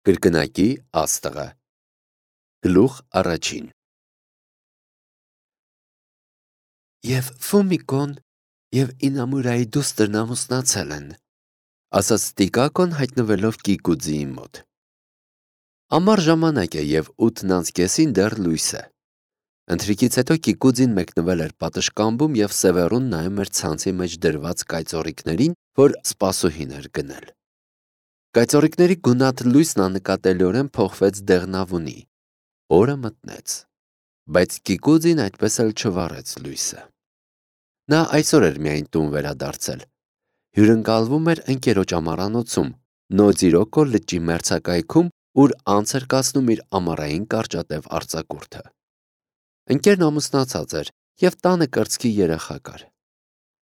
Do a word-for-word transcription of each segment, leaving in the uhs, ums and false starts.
Կրկնակի աստղը։ Գլուխ առաջին։ Եվ Ֆոմիկոն և Ինամուրայի դուստրն ամուսնացել են, ասաց Տիկակոն հայտնվելով Կիկուձիի մոտ։ Ամառ ժամանակ է և ութն անց կեսին դեռ լույս է։ Ընթրիքից հետո Կիկուձին մեկնվել էր պատշգամբում և Սևեռուն նայում էր ցանցի մեջ դրված կայծառիկներին, որ սպասուհին էր գնել։ Կայծառիկների գունատ լույսն աննկատելիորեն փոխվեց դեղնավունի։ Օրը մտնեց, բայց Կիկուձին այդպես էլ չվառեց լույսը։ Նա այսօր էր միայն տուն վերադարձել։ Հյուրընկալվում էր ընկերոջ ամառանոցում, Նոձիրոկո լճի մերձակայքում, ուր անց էր կացնում իր ամառային կարճատև արձակուրդը։ Ընկերն ամուսնացած էր և տանը կրծքի երեխա կար։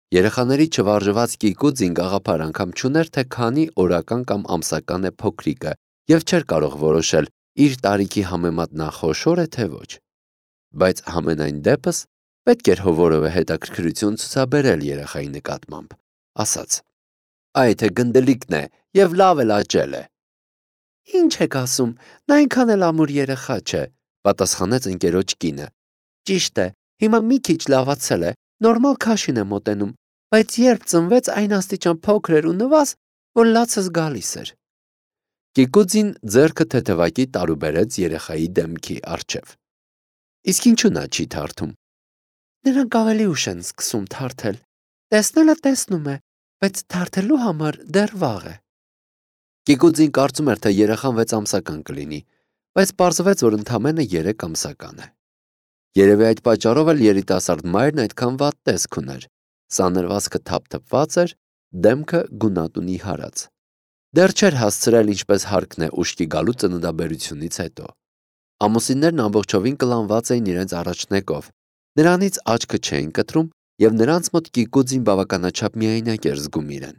Երեխաների չվարժված Կիկուձին գաղափար անգամ չուներ, թե քանի օրական կամ ամսական է փոքրիկը և չէր կարող որոշել իր տարիքի համեմատ նա խոշոր է, թե ոչ։ Բայց համենայն դեպս պետք էր որևէ հետաքրքրություն ցուցաբերել երեխայի նկատմամբ, ասաց. «Այ թե գնդլիկն է և լավ էլ աճել է»։ «Ինչ եք ասում, նա այնքան էլ ամուր երեխա չէ», պատասխանեց ընկերոջ կինը։ «Ճիշտ է, հիմա մի քիչ լավացել է, նորմալ քաշին է մոտենում, բայց երբ ծնվեց, այն աստիճան փոքր էր ու նվազ, որ լացս գալիս էր»։ Կիկուձին ձեռքը թեթևակի տարուբերեց երեխայի դեմքի առջև։ Իսկ ինչու նա չի թարթում։ Նրանք ավելի ուշ են սկսում թարթել։ Տեսնելը տեսնում է, բայց թարթելու համար դեռ վաղ է։ Կիկուձին կարծում էր, թե երեխան վեց ամսական կլինի, բայց պարզվեց, որ ընդամենը երեք ամսական է։ Երևի այդ պատճառով էլ երիտասարդ մայրն այդքան վատ տեսք ուներ։ Սանրվածքը թափթփված էր, դեմքը գունատունի հարած։ Դեռ չէր հասցրել ինչպես հարկն է ուշքի գալու ծննդաբերությունից հետո։ Ամուսիններն ամբողջովին կլանված էին իրենց առաջնեկով, նրանից աչքը չէին կտրում և նրանց մոտ Կիկուձին բավականաչափ միայնակ էր զգում իրեն։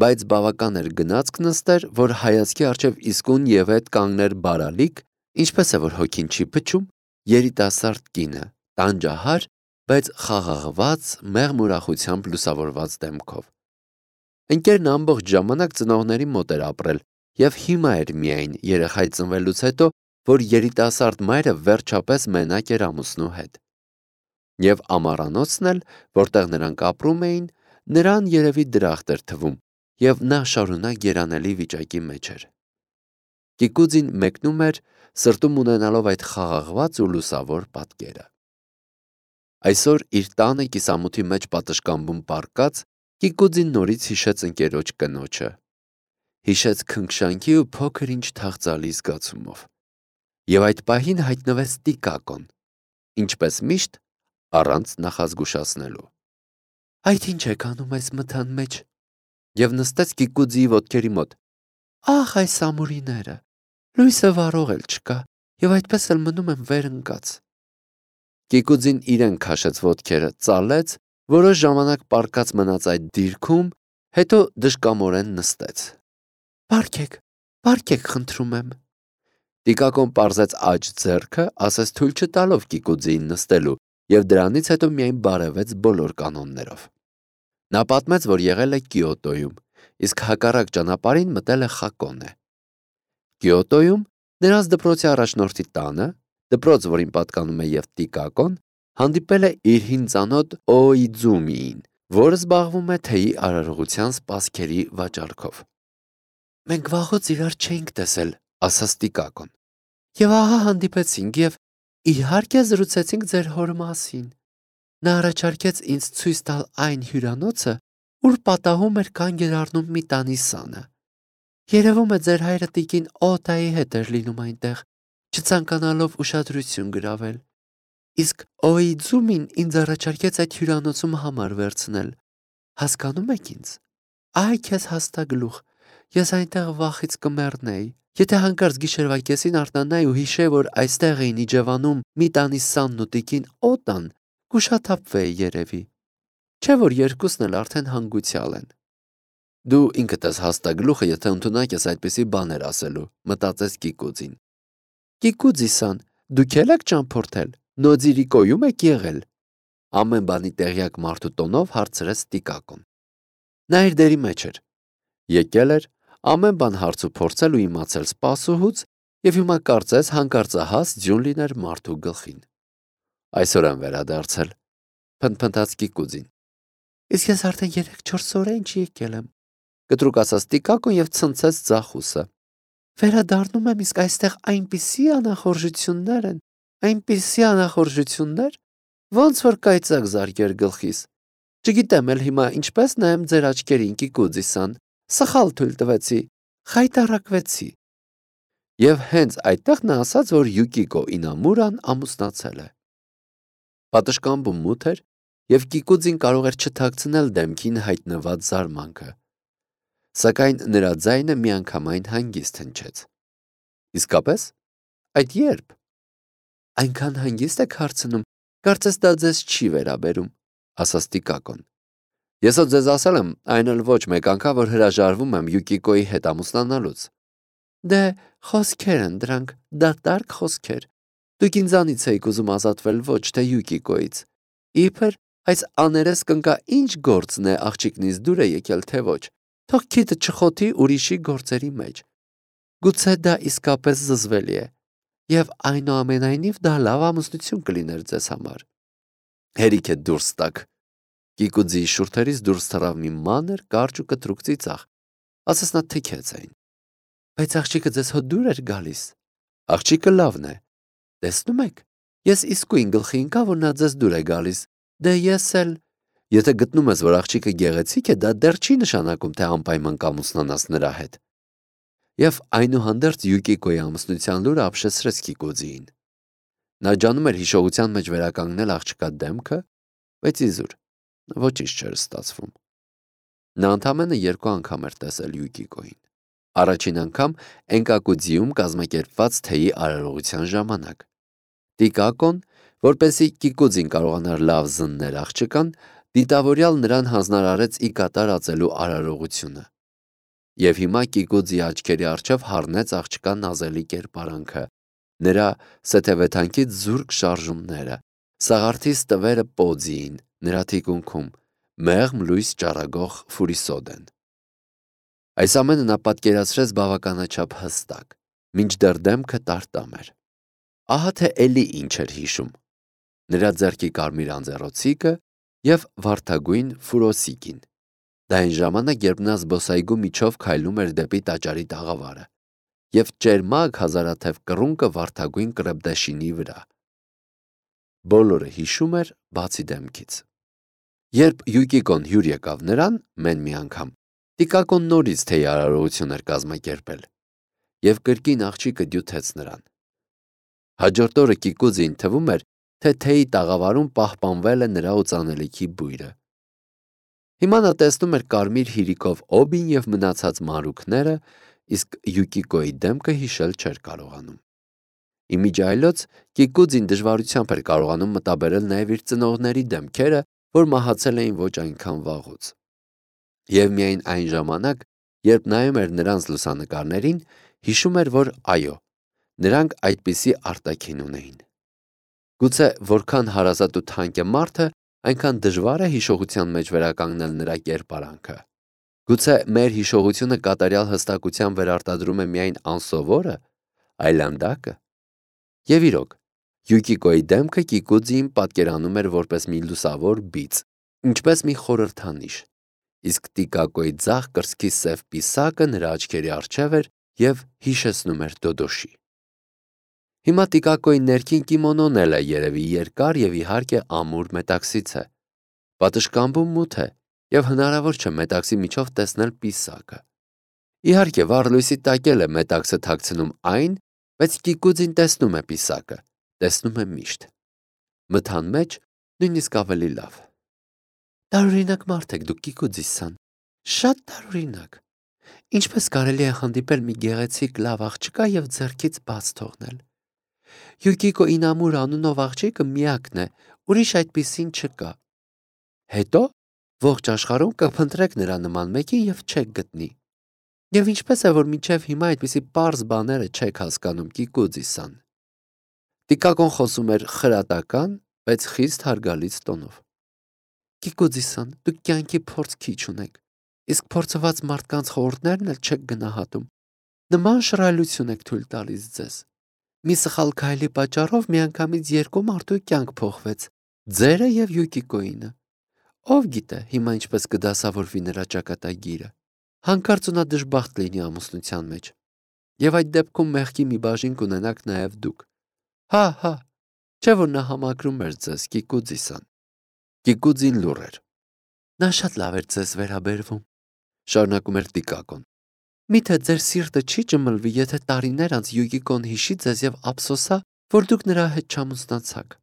Բայց բավական էր գնացք նստեր, որ հայացքի առջև իսկույն և ետ կանգներ բարալիկ, ինչպես է որ հոգին չի փչում, երիտասարդ կինը, տանջահար, բայց խաղաղված, մեղմ ուրախությամբ լուսավորված դեմքով։ Ընկերն ամբողջ ժամանակ ծնողների մոտ էր ապրել և հիմա էր միայն երեխայի ծնվելուց հետո, որ երիտասարդ մայրը վերջապես մենակ էր ամուսնու հետ։ Եվ ամառանոցն էլ, որտեղ նրանք ապրում էին, նրան երևի դրախտ էր թվում, և նա շարունակ երանելի վիճակի մեջ էր։ Կիկուձին մեկնում էր, սրտում ունենալով այդ խաղաղված ու լուսավոր պատկերը։ Այսօր իր տանը կիսամութի մեջ պատշգամբում պառկած, Կիկուձին նորից հիշեց ընկերոջ կնոջը։ Հիշեց քնքշանքի ու փոքր ինչ թախծալի զգացումով։ Եվ այդ պահին հայտնվեց Տիկակոն, ինչպես միշտ, առանց նախազգուշացնելու։ Այդ ինչ եք անում այս մթան մեջ, և նստեց Կիկուձիի ոտքերի մոտ։ Ահ, այս ամուրիները, լույսը վառող էլ չկա, և այդպես էլ մնում եմ վեր ընկած։ Կիկուձին իրեն քաշեց ոտքերը, ծալեց, որոշ ժամանակ պառկած մնաց այդ դիրքում, հետո դժկամորեն նստեց։ Պառկեք, պառկեք, խնդրում եմ։ Տիկակոն պարզեց աջ ձեռքը, ասես թույլ չտալով Կիկուձիին նստելու, և դրանից հետո միայն բարևեց բոլոր կանոններով։ Նա պատմեց, որ եղել է Կիոտոյում, իսկ հակառակ ճանապարհին մտել է Խակոնե։ Կիոտոյում նրանց դպրոցի առաջնորդի տանը, դպրոց, որին պատկանում է և Տիկակոն, հանդիպել է իր հին ծանոթ Օիձումիին, որը զբաղվում է թեյի արարողության սպասքերի վաճառքով։ Մենք վաղուց իրար չէինք տեսել, ասաց Տիկակոն։ Եվ ահա հանդիպեցինք և իհարկե զրուցեցինք ձեր հոր մասին։ Նա առաջարկեց ինձ ցույց տալ այն հյուրանոցը, ուր պատահում էր կանգ էր առնում մի տանի սանը։ Երևում է ձեր հայրը տիկին Օտայի հետ էր լինում այնտեղ, չցանկանալով ուշադրություն գրավել։ Իսկ Օիձումին ինձ առաջարկեց այդ հյուրանոցում համար վերցնել։ Հասկանում եք ինձ։ Այ քեզ հաստագլուխ, ես այնտեղ վախից կմեռնեի, եթե հանկարծ գիշերվա կեսին արթնանայի ու հիշեի, որ այստեղ էին իջևանում մի տանի սանն ու տիկին Օտան, կուշաթափվեի երևի։ Չէ՞ որ երկուսն էլ արդեն հանգուցյալ են։ Դու ինքդ ես հաստագլուխը, եթե ընդունակ ես այդպիսի բաներ ասելու, մտածեց Կիկուձին։ Կիկուձի-սան, դուք էլ եք ճամփորդել, Նոձիրիկոյում եք եղել։ Ամեն բանի տեղյակ մարդու տոնով հարցրեց Տիկակոն։ Նա իր դերի մեջ էր։ Եկել էր, ամեն բան հարց ու փորձել ու իմացել սպասուհուց եւ հիմա կարծես հանկարծահաս ձյուն լիներ մարդու գլխին։ Այսօր եմ վերադարձել, փնփնթաց Կիկուձին։ Իսկ ես արդեն երեք-չորս օր է ինչ եկել եմ, կտրուկ ասաց Տիկակոն եւ ցնցեց ձախուսը։ Վերադառնում եմ, իսկ այստեղ այնպիսի անախորժություններ են, այնպիսի անախորժություններ, ոնց որ կայծակ զարկեր գլխիս։ Չգիտեմ էլ հիմա ինչպես նայեմ ձեր աչքերին, Կիկուձիսան, սխալ թույլ տվեցի, խայտառակվեցի։ Եվ հենց այդտեղ նա ասաց, որ Յուկիկո Ինամուրան ամուսնացել է։ Պատշգամբում մութ էր, եւ Կիկուձին կարող էր չթաքցնել դեմքին հայտնված զարմանքը։ Սակայն նրա ձայնը միանգամայն հանգիստ հնչեց։ Իսկապես, այդ երբ։ Այնքան հանգիստ եք հարցնում, կարծես դա ձեզ չի վերաբերում, ասաց Տիկակոն։ Ես ո ձեզ ասել եմ, այն էլ ոչ մեկ անգամ, որ հրաժարվում եմ Յուկիկոյի հետ ամուսնանալուց։ Դե խոսքեր են դրանք, դատարկ խոսքեր։ Դուք ինձանից էիք ուզում ազատվել, ոչ թե Յուկիկոյից։ Իբր այս աներես կնկա ինչ գործն է աղջիկնից դուր է եկել, թե ոչ։ Թող քիթը չխոթի ուրիշի գործերի մեջ։ Գուցե դա իսկապես զզվելի է։ Եվ այնուամենայնիվ դա լավ ամուսնություն կլիներ ձեզ համար։ Հերիք է դուրս տակ։ Կիկուձի շուրթերից դուրս թռավ մի մանր, կարճ ու կտրուկ ծիծաղ։ Ասես նա թքեց այն։ Բայց աղջիկը ձեզ հո դուր էր գալիս։ Աղջիկը լավն է։ Տեսնում եք, ես իսկույն գլխի ընկա, որ նա ձեզ դուր է գալիս։ Դե ես էլ։ Եթե գտնում ես, որ աղջիկը գեղեցիկ է, դա դեռ չի նշանակում, թե անպայման կամուսնանաս նրա հետ։ Եվ այնուհանդերձ Յուկիկոյի ամուսնության լուրը ապշեցրեց Կիկուձիին։ Նա ջանում էր հիշողության մեջ վերականգնել աղջկա դեմքը, բայց իզուր ոչինչ չէր ստացվում։ Նա ընդամենը երկու անգամ էր տեսել Յուկիկոյին։ Առաջին անգամ Էնկակուձիում կազմակերպված թեյի արարողության ժամանակ։ Տիկակոն, որպեսզի Կիկուձին կարողանար լավ զննել աղջկան, դիտավորյալ նրան հանձնարարեց ի կատար ածելու արարողությունը։ Եվ հիմա Կիկուձի աչքերի առջև հառնեց աղջկա նազելի կերպարանքը, նրա սեթևեթանքից զուրկ շարժումները, սաղարթից տվերը պոձիին, նրա թիկունքում, մեղմ լույս ճառագող ֆուրիսոդեն։ Այս ամենը նա պատկերացրեց բավականաչափ հստակ, մինչդեռ դեմքը տարտամ էր։ Ահա թե էլի ինչ էր հիշում։ Նրա ձեռքի կարմիր անձեռոցիկը եւ վարդագույն ֆուրոսիկին։ Դա այն ժամանակ, երբ նա զբոսայգու միջով քայլում էր դեպի տաճարի տաղավարը, եւ ճերմակ հազարաթև կռունկը վարդագույն կրեպդեշինի վրա։ Բոլորը հիշում էր, բացի դեմքից։ Երբ Յուկիկոն հյուր եկավ նրան, մեն մի անգամ, Տիկակոն նորից թեյ արարողություն էր կազմակերպել, եւ կրկին աղջիկը դյութեց նրան։ Հաջորդ օրը Կիկուձին թվում էր, թե թեյի տաղավարում պահպանվել է նրա օծանելիքի բույրը։ Հիմա նա տեսնում էր կարմիր հիրիկով օբին եւ մնացած մանրուքները, իսկ Յուկիկոյի դեմքը հիշել չէր կարողանում։ Իմիջայլոց Կիկուձին դժվարությամբ էր կարողանում մտաբերել նաեւ իր ծնողների դեմքերը, որ մահացել էին ոչ այնքան վաղուց։ Եվ միայն այն ժամանակ, երբ նայում էր նրանց լուսանկարներին, հիշում էր, որ այո, նրանք այդպիսի արտաքին ունեին։ Գուցե որքան հարազատ ու թանկ է մարդը, այնքան դժվար է հիշողության մեջ վերականգնել նրա կերպարանքը։ Գուցե մեր հիշողությունը կատարյալ հստակության վերարտադրում է միայն անսովորը, այլանդակը։ Եվ իրոք, Յուկիկոյի դեմքը Կիկուձիին պատկերանում էր որպես մի լուսավոր բիծ, ինչպես մի խորհրդանիշ, իսկ Տիկակոյի ձախ կրծքի սև պիսակը նրա աչքերի առջև էր եւ հիշեցնում էր Դոդոշի։ Հիմա Տիկակոյի ներքին կիմոնոն էլ է երևի երկար եւ իհարկե ամուր մետաքսից է։ Պատշգամբում մութ է եւ հնարավոր չէ մետաքսի միջով տեսնել պիսակը։ Իհարկե վառ լույսի տակ էլ է մետաքսը թաքցնում այն, բայց Կիկուձին տեսնում է պիսակը, տեսնում է միշտ։ Մթան մեջ նույնիսկ ավելի լավ։ Տարօրինակ մարդ եք դուք, Կիկուձիսան, շատ տարօրինակ։ Ինչպես կարելի է հանդիպել մի գեղեցիկ լավ աղջկա եւ ձեռքից բաց թողնել։ Յուկիկո Ինամուր անունով աղջիկը միակն է, ուրիշ այդպիսին չկա։ Հետո ողջ աշխարհում կփնտրեք նրա նման մեկին եւ չեք գտնի։ Եվ ինչպես է, որ մինչև հիմա այդպիսի պարզ բաները չեք հասկանում, Կիկուձիսան։ Տիկակոն խոսում էր խրատական, բայց խիստ հարգալից տոնով։ Կիկուձիսան, դուք կյանքի փորձ քիչ ունեք, իսկ փորձված մարդկանց խորհուրդներն էլ չեք գնահատում։ Նման շռայլություն եք թույլ տալիս ձեզ։ Մի սխալ քայլի պատճառով միանգամից երկու մարդու կյանք փոխվեց՝ ձերը եւ Յուկիկոյինը։ Ով գիտե հիմա ինչպես կդասավորվի նրա ճակատագիրը։ Հանկարծ նա դժբախտ լինի ամուսնության մեջ։ Եվ այդ դեպքում մեղքի մի բաժին կունենաք նաեւ դուք։ Հա, հա, չէ՞ որ նա համակրում էր ձեզ, Կիկուձի-սան։ Կիկուձին լուռ էր։ Նա շատ լավ էր ձեզ վերաբերվում, շարունակում էր Տիկակոն։ Միթե ձեր սիրտը չի ճմլվի, եթե տարիներ անց Յուկիկոն հիշի ձեզ եւ ափսոսա, որ դուք նրա հետ չամուսնացաք։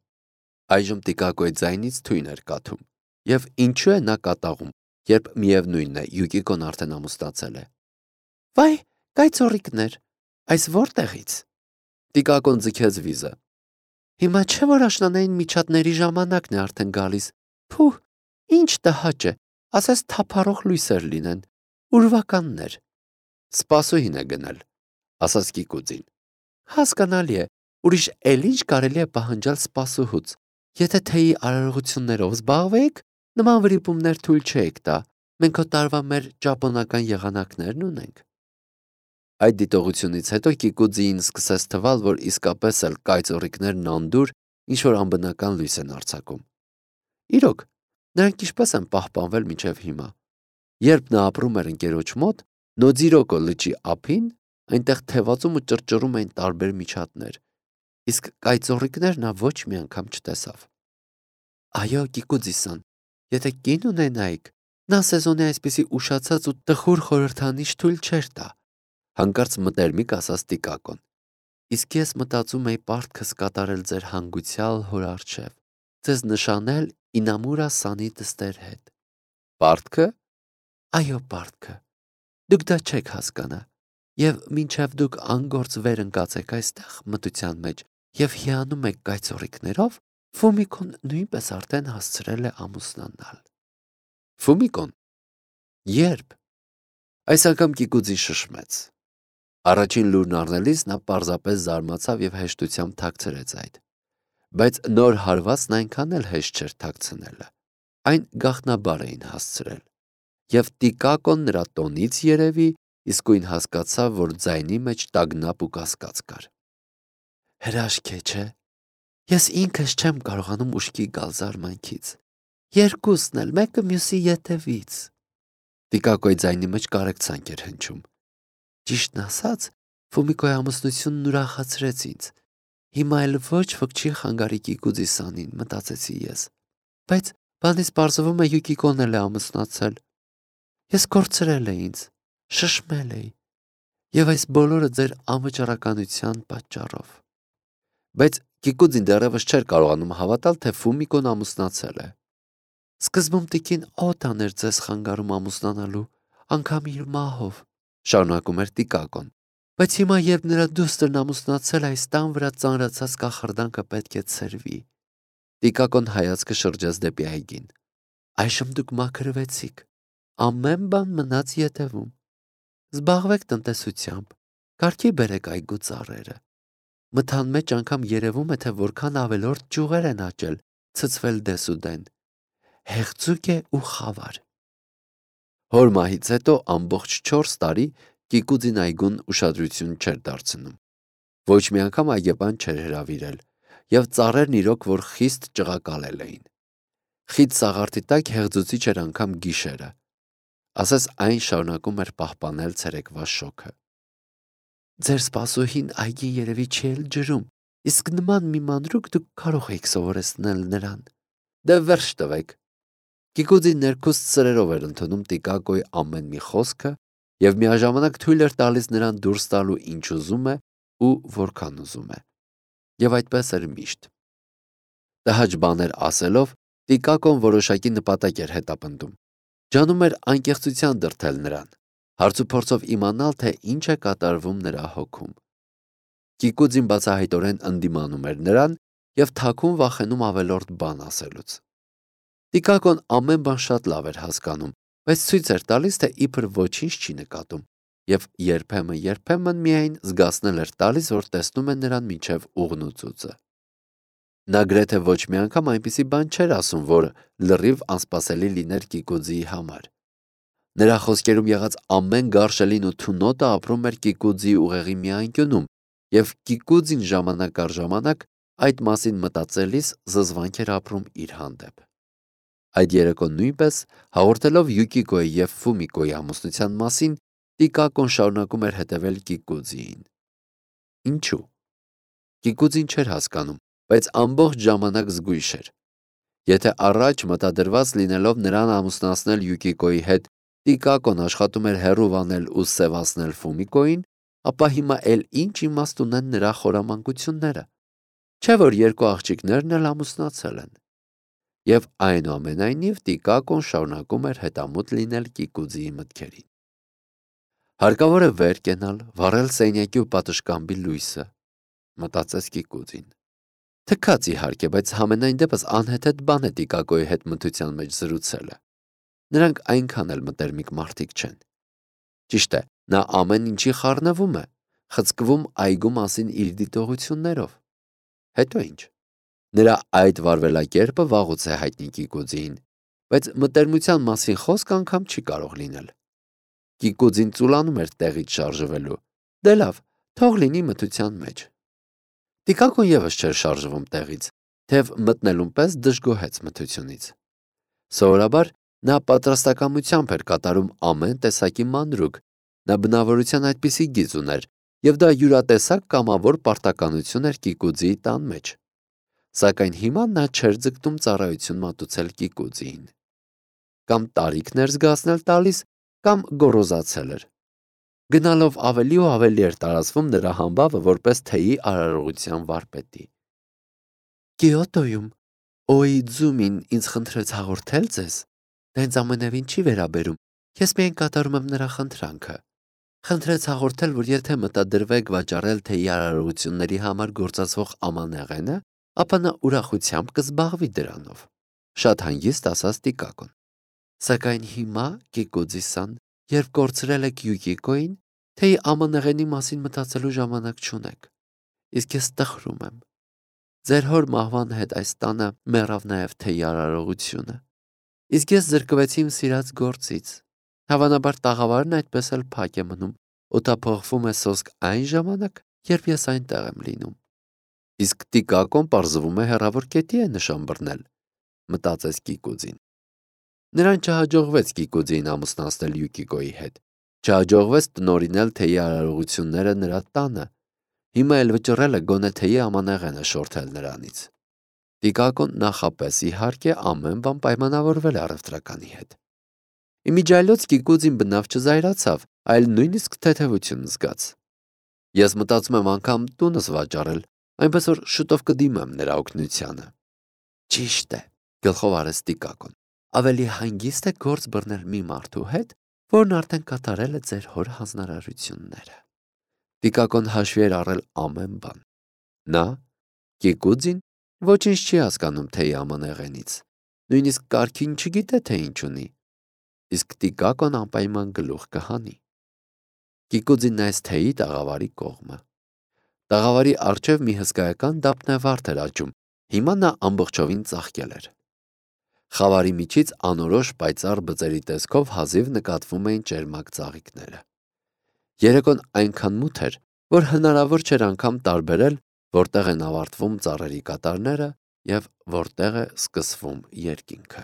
Այժմ Տիկակոյի ձայնից թույն էր կաթում։ Եվ ինչու է նա կատաղում, երբ միևնույնն է Յուկիկոն արդեն ամուսնացել է։ Վայ, կայծորիկներ, այս որտեղից։ Տիկակոն ձգեց վիզը։ Հիմա չէ որ աշնանային միջատների ժամանակն է արդեն գալիս։ Փուh, ինչ տհաճ է, ասես թափառող լույսեր լինեն, ուրվականներ։ Սպասուհին է գնել, ասաց Կիկուձին։ Հասկանալի է, ուրիշ էլ ինչ կարելի է պահանջալ սպասուհուց։ Եթե թեյի արարողություններով զբաղվեիք, նման վրիպումներ թույլ չէիք տա։ Մենք հո տարվա մեր ճապոնական եղանակներն ունենք։ Այդ դիտողությունից հետո Կիկուձին սկսեց թվալ, որ իսկապես էլ կայծորիկներն անդուր ինչ-որ անբնական լույս են արձակում։ Իրոք, նրանք ինչպես են պահպանվել մինչև հիմա։ Երբ նա ապրում էր ընկերոջ մոտ, Նոձիրոկո լճի ափին, այնտեղ թևածում ու ճռճռում էին տարբեր միջատներ, իսկ կայծորիկներ նա ոչ մի անգամ չտեսավ։ Այո, Կիկուձի-սան, եթե կին ունենայիք, նա սեզոնի այսպիսի ուշացած ու տխուր խորհրդանիշ թույլ չէր տա, հանկարծ մտերմիկ ասաց Տիկակոն։ Իսկ ես մտածում էի պարտքս կատարել ձեր հանգուցյալ հոր առջև, ձեզ նշանել Ինամուրա-սանի դստեր հետ։ Պարտքը։ Այո, պարտքը։ Դուք դա չեք հասկանա, եւ մինչև դուք անգործ վեր ընկածեք այստեղ մտության մեջ եւ հիանում եք կայծորիկներով, Ֆումիկոն նույնպես արդեն հասցրել է ամուսնանալ։ Ֆումիկոն։ Երբ։ Այս անգամ Կիկուձին շշմեց։ Առաջին լուրն առնելիս նա պարզապես զարմացավ եւ հեշտությամբ թաքցրեց այդ։ Բայց նոր հարվածն այնքան էլ հեշտ չէր թաքցնելը։ Այն գաղտնաբար էին հասցրել։ Եվ Տիկակոն նրա տոնից երևի իսկույն հասկացավ, որ ձայնի մեջ տագնապ ու կասկած կար։ Հրաշք է, չէ։ Ես ինքս չեմ կարողանում ուշքի գալ զարմանքից։ Երկուսն էլ, մեկը մյուսի ետևից։ Տիկակոյի ձայնի մեջ կարեկցանք էր հնչում։ Ճիշտն ասած, Ֆումիկոյի ամուսնությունն ուրախացրեց ինձ։ Հիմա էլ ոչ ոք չի խանգարի Կիկուձի-սանին, մտածեցի ես։ Բայց բանից պարզվում է Յուկիկոն էլ է ամուսնացել։ Ես կորցրել էի ինձ, շշմել էի, եւ այս բոլորը ձեր անվճռականության պատճառով։ Բայց Կիկուձին դեռևս չէր կարողանում հավատալ, թե Ֆումիկոն ամուսնացել է։ Սկզբում տիկին օտան էր ձեզ խանգարում ամուսնանալու, անգամ իր մահով, շարունակում էր Տիկակոն։ Բայց հիմա, երբ նրա դուստրն ամուսնացել, այս տան վրա ծանրացած կախարդանքը պետք է ցրվի։ Տիկակոն հայացքը շրջեց դեպի այգին։ Այժմ դուք մաքրվեցիք, ամեն բան մնաց ետևում։ Զբաղվեք տնտեսությամբ, կարգի բերեք այգու ծառերը։ Մթան մեջ անգամ երևում է, թե որքան ավելորդ ճյուղեր են աճել, ցցվել դեսուդեն։ Հեղձուկ է ու խավար։ Հոր մահից հետո ամբողջ չորս տարի Կիկուձին այգուն ուշադրություն չէր դարձնում։ Ոչ մի անգամ այգեպան չէր հրավիրել, եւ ծառերն իրոք որ խիստ ճղակալել էին։ Խիտ սաղարթի տակ հեղձուցիչ էր անգամ գիշերը։ Ասես այն շարունակում էր պահպանել ցերեկվա շոքը։ Ձեր սպասուհին այգին երևի չի էլ ջրում, իսկ նման մի մանրուք դուք կարող եք սովորեցնել նրան։ Դե վերջ տվեք։ Կիկուձին ներքուստ սրերով էր ընդունում Տիկակոյի ամեն մի խոսքը եւ միաժամանակ թույլ էր տալիս նրան դուրս տալու ինչ ուզում է ու որքան ուզում է։ Եվ այդպես էր միշտ։ Տհաճ բաներ ասելով Տիկակոն որոշակի նպատակ էր հետապնդում։ Ջանում էր անկեղծության դրդել նրան, հարցուփորձով իմանալ, թե ինչ է կատարվում նրա հոգում։ Կիկուձին բացահայտորեն ընդդիմանում էր նրան եւ թաքուն վախենում ավելորդ բան ասելուց։ Տիկակոն ամեն բան շատ լավ էր հասկանում, բայց ցույց էր տալիս, թե իբր ոչինչ չի նկատում, եւ երբեմն-երբեմն միայն զգացնել էր տալիս, որ տեսնում է նրան մինչև ուղնուծուծը։ Նա գրեթե ոչ մի անգամ այնպիսի բան չէր ասում, որ լրիվ անսպասելի լիներ Կիկուձիի համար։ Նրա խոսքերում եղած ամեն գարշելին ու թունոտը ապրում էր Կիկուձի ուղեղի մի անկյունում, և Կիկուձին ժամանակ առ ժամանակ այդ մասին մտածելիս զզվանք էր ապրում իր հանդեպ։ Այդ երեկո նույնպես, հաղորդելով Յուկիկոյի և Ֆումիկոյի ամուսնության մասին, Տիկակոն շարունակում էր հետևել Կիկուձիին։ Ինչու՞։ Կիկուձին չէր հասկանում, բայց ամբողջ ժամանակ զգույշ էր։ Եթե առաջ մտադրված լինելով նրան ամուսնացնել Յուկիկոյի հետ, Տիկակոն աշխատում էր հեռու վանել ու սևացնել Ֆումիկոյին, ապա հիմա էլ ինչ իմաստ ունեն նրա խորամանկությունները։ Չէ՞ որ երկու աղջիկներն էլ ամուսնացել են։ Եվ այնուամենայնիվ Տիկակոն շարունակում էր հետամուտ լինել Կիկուձիի մտքերին։ Հարկավոր է վեր կենալ, վառել սենյակի ու պատշգամբի լույսը, մտածեց Կիկուձին։ Թքած իհարկե, բայց համենայն դեպս անհեթեթ բան է Տիկակոյի հետ մթության մեջ զրուցելը։ Նրանք այնքան էլ մտերմիկ մարդիկ չեն։ Ճիշտ է, նա ամեն ինչի խառնվում է, խցկվում այգու մասին իր դիտողություններով։ Հետո ինչ։ Նրա այդ վարվելակերպը վաղուց է հայտնի Կիկուձիին, բայց մտերմության մասին խոսք անգամ չի կարող լինել։ Կիկուձին ծուլանում էր տեղից շարժվելու։ Դե լավ, թող լինի մթության մեջ։ Տիկակոն ևս չէր շարժվում տեղից, թեև մտնելուն պես դժգոհեց մթությունից։ Սովորաբար նա պատրաստակամությամբ էր կատարում ամեն տեսակի մանրուք, նա բնավորության այդպիսի գիծ ուներ, և դա յուրատեսակ կամավոր պարտականություն էր Կիկուձիի տան մեջ։ Սակայն հիմա նա չէր ձգտում ծառայություն մատուցել Կիկուձիին։ Կամ տարիքն էր զգացնել տալիս, կամ գոռոզացել էր։ Գնալով ավելի ու ավելի էր տարածվում նրա համբավը որպես թեյի արարողության վարպետի։ Կիոտոյում Օիձումին ինձ խնդրեց հաղորդել ձեզ, դա ինձ ամենևին չի վերաբերում, ես միայն կատարում եմ նրա խնդրանքը։ Խնդրեց հաղորդել, որ եթե մտադրվեք վաճառել թեյի արարողությունների համար գործածվող ամանեղենը, ապա նա ուրախությամբ կզբաղվի դրանով։ Շատ հանգիստ ասաց Տիկակոն։ Սակայն հիմա, Կիկուձի-սան, երբ կորցրել եք Յուկիկոյին, թեյի ամանեղենի մասին մտածելու ժամանակ չունեք։ Իսկ ես տխրում եմ։ Ձեր հոր մահվան հետ այս տանը մեռավ նաև թեյի արարողությունը։ Իսկ ես զրկվեցի իմ սիրած գործից։ Հավանաբար տաղավարն այդպես էլ փակ է մնում, օդափոխվում է սոսկ այն ժամանակ, երբ ես այնտեղ եմ լինում։ Իսկ Տիկակոն պարզվում է հեռավոր կետի է նշան բռնել, մտածեց Կիկուձին։ Նրան չհաջողվեց Կիկուձիին ամուսնացնել Յուկիկոյի հետ։ Չհաջողվեց տնօրինել թեյի արարողությունները նրա տանը։ Հիմա էլ վճռել է գոնե թեյի ամանեղենը շորթել նրանից։ Տիկակոն նախապես իհարկե ամեն բան պայմանավորվել է առևտրականի հետ։ Իմիջիայլոց Կիկուձին բնավ չզայրացավ, այլ նույնիսկ թեթևություն զգաց։ Ես մտածում եմ անգամ տունս վաճառել, այնպես որ շուտով կդիմեմ նրա օգնությանը։ Ճիշտ է, գլխով արեց Տիկակոն։ Ավելի հանգիստ է գործ բռնել մի մարդու հետ, որն արդեն կատարել է ձեր հոր հանձնարարությունները։ Տիկակոն հաշվի էր առել ամեն բան։ Նա, Կիկուձին, ոչինչ չի հասկանում թեյի ամանեղենից, նույնիսկ կարգին չգիտե, թե ինչ ունի, իսկ Տիկակոն անպայման գլուխ կհանի։ Կիկուձին նայեց թեյի տաղավարի կողմը։ Տաղավարի առջև մի հսկայական դափնեվարդ էր աճում, հիմա նա ամբողջովին ծաղկել էր։ Խավարի միջից անորոշ պայծառ բծերի տեսքով հազիվ նկատվում էին ճերմակ ծաղիկները։ Երեկոն այնքան մութ էր, որ հնարավոր չէր անգամ տարբերել, որտեղ են ավարտվում ծառերի կատարները և որտեղ է սկսվում երկինքը։